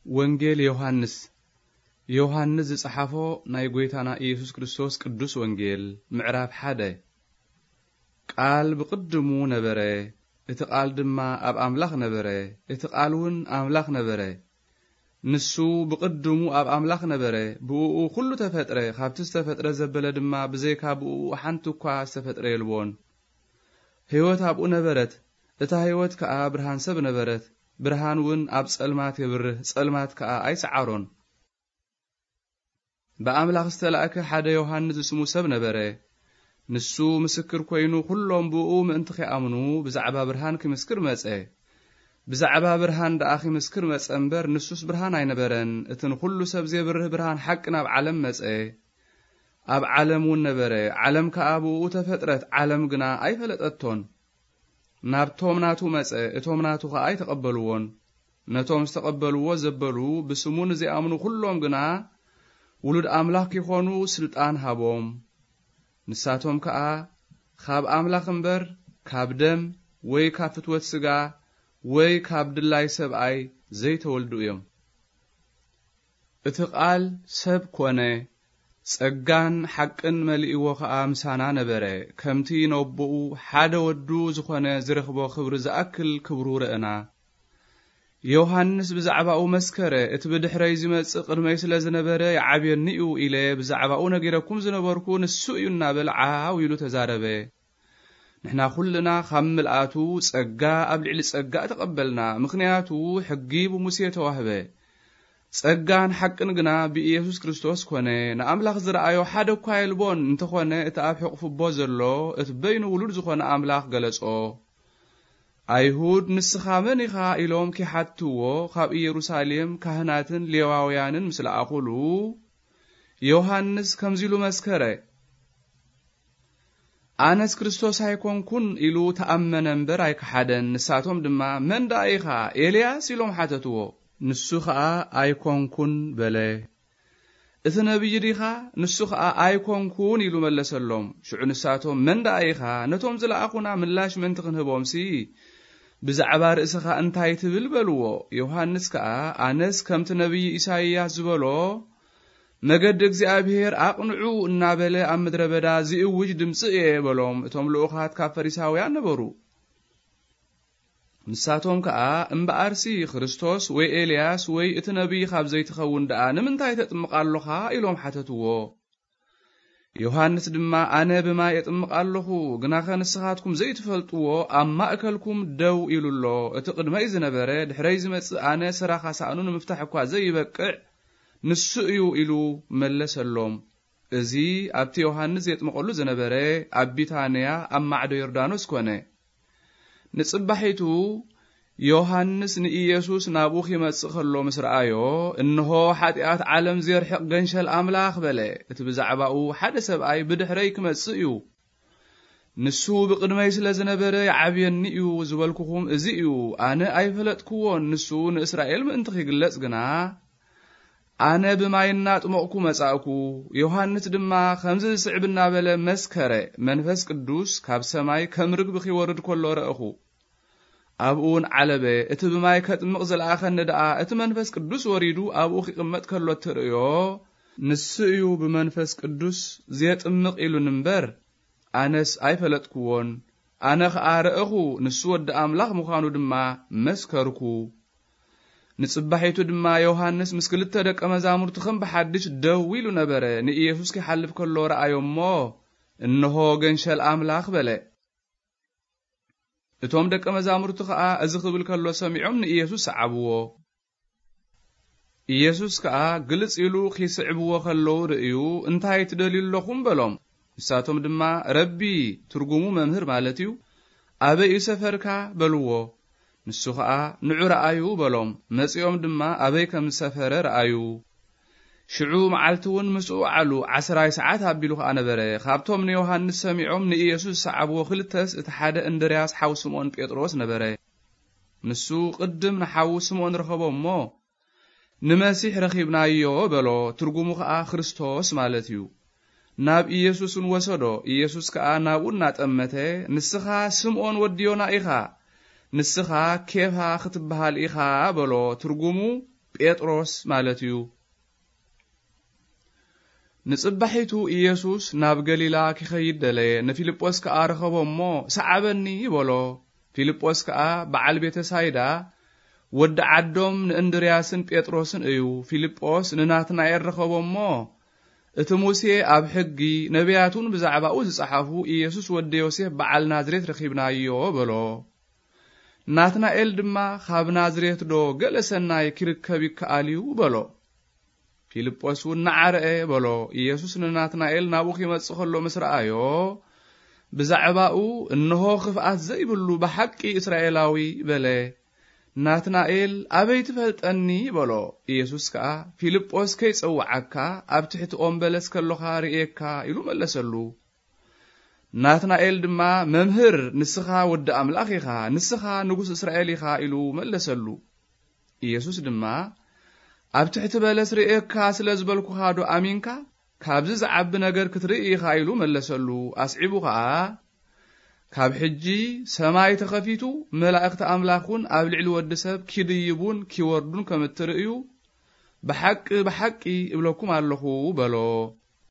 ወንጌል ዮሃንስ። ዮሃንስ ዝጸሓፎ ናይ ጐይታና ኢየሱስ ክርስቶስ ቅዱስ ወንጌል። ምዕራፍ ሓደ። ቃል ብቕድሙ ነበረ፣ እቲ ቃል ድማ ኣብ ኣምላኽ ነበረ፣ እቲ ቃል እውን ኣምላኽ ነበረ። ንሱ ብቕድሙ ኣብ ኣምላኽ ነበረ፣ ብእኡ ኹሉ ተፈጥረ፣ ካብቲ ዝተፈጥረ ዘበለ ድማ ብዘይካ ብእኡ ሓንቲ እኳ ዝተፈጥረ የልቦን። ህይወት ኣብኡ ነበረት፣ እታ ህይወት ከኣ ብርሃን ሰብ ነበረት። ብርሃን እውን ኣብ ጸልማት የብርህ፣ ጸልማት ከኣ ኣይሰዓሮን። ብኣምላኽ ዝተላእከ ሓደ ዮሃንስ ዝስሙ ሰብ ነበረ። ንሱ ምስክር ኮይኑ፣ ኩሎም ብእኡ ምእንቲ ኺኣምኑ ብዛዕባ ብርሃን ኪምስክር መጸ። ብዛዕባ ብርሃን ደኣ ኺምስክር መጸ እምበር፣ ንሱስ ብርሃን ኣይነበረን። እቲ ንኹሉ ሰብ ዜብርህ ብርሃን ሓቂ ናብ ዓለም መጸ። ኣብ ዓለም እውን ነበረ፣ ዓለም ከኣ ብእኡ ተፈጥረት፣ ዓለም ግና ኣይፈለጠቶን። ናብቶም ናቱ መጸ፣ እቶም ናቱ ኸኣ ኣይተቐበልዎን። ነቶም ዝተቐበልዎ ዘበሉ፣ ብስሙ ንዚኣምኑ ኩሎም ግና ውሉድ ኣምላኽ ኪኾኑ ስልጣን ሃቦም። ንሳቶም ከኣ ካብ ኣምላኽ እምበር፣ ካብ ደም ወይ ካብ ፍትወት ስጋ ወይ ካብ ድላይ ሰብኣይ ዘይተወልዱ እዮም። እቲ ቃል ሰብ ኮነ፣ ጸጋን ሓቅን መሊእዎ ኸኣ ምሳና ነበረ። ከምቲ ነቦኡ ሓደ ወዱ ዝኾነ ዝረኽቦ ክብሪ ዝኣክል ክብሩ ረእና። ዮሃንስ ብዛዕባኡ መስከረ፣ እቲ ብድሕረይ ዝመጽእ ቅድመይ ስለ ዝነበረ ይዓብየኒ እዩ ኢለ ብዛዕባኡ ነጊረኩም ዝነበርኩ ንሱ እዩ እናበለ ዓው ኢሉ ተዛረበ። ንሕና ኩልና ካብ ምልኣቱ ጸጋ ኣብ ልዕሊ ጸጋ ተቐበልና፣ ምኽንያቱ ሕጊ ብሙሴ ተዋህበ። ጸጋን ሓቅን ግና ብኢየሱስ ክርስቶስ ኮነ። ንኣምላኽ ዝረኣዮ ሓደ እኳ የልቦን፣ እንተኾነ እቲ ኣብ ሕቕፉ ኣቦ ዘሎ፣ እቲ በይኑ ውሉድ ዝኾነ ኣምላኽ ገለጾ። ኣይሁድ፣ "ንስኻ መን ኢኻ?" ኢሎም ኪሓትዎ፣ ካብ ኢየሩሳሌም ካህናትን ሌዋውያንን ምስ ለኣኹሉ፣ ዮሃንስ ከምዚ ኢሉ መስከረ፣ "ኣነስ ክርስቶስ ኣይኮንኩን" ኢሉ ተኣመነ እምበር ኣይከሓደን። ንሳቶም ድማ፣ "መን ደኣ ኢኻ? ኤልያስ?" ኢሎም ሓተትዎ። ንሱ ኸኣ፣ "ኣይኮንኩን" በለ። "እቲ ነቢይ ዲኻ?" ንሱ ኸኣ፣ "ኣይኮንኩን" ኢሉ መለሰሎም። ሽዑ ንሳቶም፣ "መን ደኣ ኢኻ? ነቶም ዝለኣኹና ምላሽ ምእንቲ ክንህቦምሲ፣ ብዛዕባ ርእስኻ እንታይ ትብል?" በልዎ። ዮሃንስ ከኣ፣ "ኣነስ ከምቲ ነቢይ ኢሳይያስ ዝበሎ፣ 'መገዲ እግዚኣብሔር ኣቕንዑ' እናበለ ኣብ ምድረ በዳ ዝእውጅ ድምጺ እየ" በሎም። እቶም ልኡኻት ካብ ፈሪሳውያን ነበሩ። ንሳቶም ከኣ፣ "እምበኣርሲ ክርስቶስ ወይ ኤልያስ ወይ እቲ ነቢይ ካብ ዘይትኸውን ደኣ ንምንታይ ተጥምቕ ኣሎኻ?" ኢሎም ሓተትዎ። ዮሃንስ ድማ፣ "ኣነ ብማይ እጥምቕ ኣለኹ፣ ግናኸ ንስኻትኩም ዘይትፈልጥዎ ኣብ ማእከልኩም ደው ኢሉ ኣሎ። እቲ ቅድመይ ዝነበረ፣ ድሕረይ ዝመጽእ ኣነ፣ ሰራኻ ሳእኑ ንምፍታሕ እኳ ዘይበቅዕ ንሱ እዩ" ኢሉ መለሰሎም። እዚ ኣብቲ ዮሃንስ የጥምቐሉ ዝነበረ ኣብ ቢታንያ ኣብ ማዕዶ ዮርዳኖስ ኮነ። ንጽባሒቱ ዮሃንስ ንኢየሱስ ናብኡ ኺመጽእ ኸሎ ምስ ረኣዮ፣ "እንሆ፣ ሓጢኣት ዓለም ዜርሕቕ ገንሸል ኣምላኽ" በለ። እቲ ብዛዕባኡ ሓደ ሰብኣይ ብድሕረይ ክመጽእ እዩ። ንሱ ብቕድመይ ስለ ዝነበረ ይዓብየኒ እዩ ዝበልኩኹም እዚ እዩ። ኣነ ኣይፈለጥክዎን፣ ንሱ ንእስራኤል ምእንቲ ኺግለጽ ግና፣ ኣነ ብማይ እናጥመቕኩ መጻእኩ፣ ዮሃንስ ድማ ከምዚ ዝስዕብ እናበለ መስከረ፣ መንፈስ ቅዱስ ካብ ሰማይ ከም ርግቢ ኺወርድ ከሎ ረእኹ። ኣብኡ እውን ዓለበ። እቲ ብማይ ከጥምቕ ዝለኣኸኒ ደኣ፣ እቲ መንፈስ ቅዱስ ወሪዱ ኣብኡ ኺቕመጥ ከሎ እትርእዮ፣ ንሱ እዩ ብመንፈስ ቅዱስ ዜጥምቕ ኢሉኒ እምበር፣ ኣነስ ኣይፈለጥክዎን። ኣነ ኸኣ ረእኹ፣ ንሱ ወዲ ኣምላኽ ምዃኑ ድማ መስከርኩ። ንጽባሒቱ ድማ ዮሃንስ ምስ ክልተ ደቀ መዛሙርቱ ከም ብሓድሽ ደው ኢሉ ነበረ። ንኢየሱስ ኪሓልፍ ከሎ ረኣዮ እሞ፣ "እንሆ ገንሸል ኣምላኽ" በለ። እቶም ደቀ መዛሙርቱ ኸኣ እዚ ክብል ከሎ ሰሚዖም ንኢየሱስ ሰዓብዎ። ኢየሱስ ከኣ ግልጽ ኢሉ ኺስዕብዎ ኸለዉ ርእዩ፣ "እንታይ ትደልዩ ኣለኹም?" በሎም። ንሳቶም ድማ፣ "ረቢ" ትርጉሙ መምህር ማለት እዩ፣ "ኣበይ እዩ ሰፈርካ?" በልዎ። ንሱ ኸኣ፣ "ንዑ ረኣዩ" በሎም። መጺኦም ድማ ኣበይ ከም ዝሰፈረ ረኣዩ። ሽዑ መዓልቲ እውን ምስኡ ወዓሉ፣ ዓስራይ ሰዓት ኣቢሉ ኸኣ ነበረ። ካብቶም ንዮሃንስ ሰሚዖም ንኢየሱስ ዝሰዓብዎ ክልተስ፣ እቲ ሓደ እንድርያስ ሓው ስምዖን ጴጥሮስ ነበረ። ንሱ ቅድም ንሓዉ ስምዖን ረኸቦ እሞ፣ "ንመሲሕ ረኺብናዮ" በሎ፣ ትርጉሙ ኸኣ ክርስቶስ ማለት እዩ። ናብ ኢየሱስ እውን ወሰዶ። ኢየሱስ ከኣ ናብኡ እናጠመተ፣ "ንስኻ ስምዖን ወዲ ዮና ኢኻ፣ ንስኻ ኬፋ ክትበሃል ኢኻ" በሎ፣ ትርጉሙ ጴጥሮስ ማለት እዩ። ንጽባሒቱ ኢየሱስ ናብ ገሊላ ኪኸይድ ደለየ። ንፊልጶስ ከኣ ረኸቦ እሞ፣ "ሰዓበኒ" በሎ። ፊልጶስ ከኣ በዓል ቤተሳይዳ፣ ወዲ ዓዶም ንእንድርያስን ጴጥሮስን እዩ። ፊልጶስ ንናትናኤል ረኸቦ እሞ፣ "እቲ ሙሴ ኣብ ሕጊ፣ ነቢያት እውን ብዛዕባኡ ዝጸሓፉ ኢየሱስ ወዲ ዮሴፍ በዓል ናዝሬት ረኺብናዮ" በሎ። ናትናኤል ድማ፣ "ካብ ናዝሬት ዶ ገለ ሰናይ ኪርከብ ይከኣል እዩ?" በሎ። ፊልጶስ እውን፣ "ንዓ ርአ" በሎ። ኢየሱስ ንናትናኤል ናብኡ ኺመጽእ ኸሎ ምስ ረኣዮ፣ ብዛዕባኡ፣ "እንሆ ኽፍኣት ዘይብሉ ብሓቂ እስራኤላዊ" በለ። ናትናኤል፣ "ኣበይ ትፈልጠኒ?" በሎ። ኢየሱስ ከኣ፣ "ፊልጶስ ከይጸውዓካ ኣብ ትሕቲ ኦም በለስ ከሎኻ ርእየካ" ኢሉ መለሰሉ። ናትናኤል ድማ፣ "መምህር፣ ንስኻ ወዲ ኣምላኽ ኢኻ፣ ንስኻ ንጉስ እስራኤል ኢኻ" ኢሉ መለሰሉ። ኢየሱስ ድማ፣ "ኣብ ትሕቲ በለስ ርእየካ ስለ ዝበልኩኻ ዶ ኣሚንካ? ካብዚ ዝዓቢ ነገር ክትርኢ ኢኻ" ኢሉ መለሰሉ። ኣስዒቡ ኸኣ፣ "ካብ ሕጂ ሰማይ ተኸፊቱ፣ መላእኽቲ ኣምላኽ እውን ኣብ ልዕሊ ወዲ ሰብ ኪድይቡን ኪወርዱን ከም እትርእዩ፣ ብሓቂ፣ ብሓቂ እብለኩም ኣለኹ" በሎ።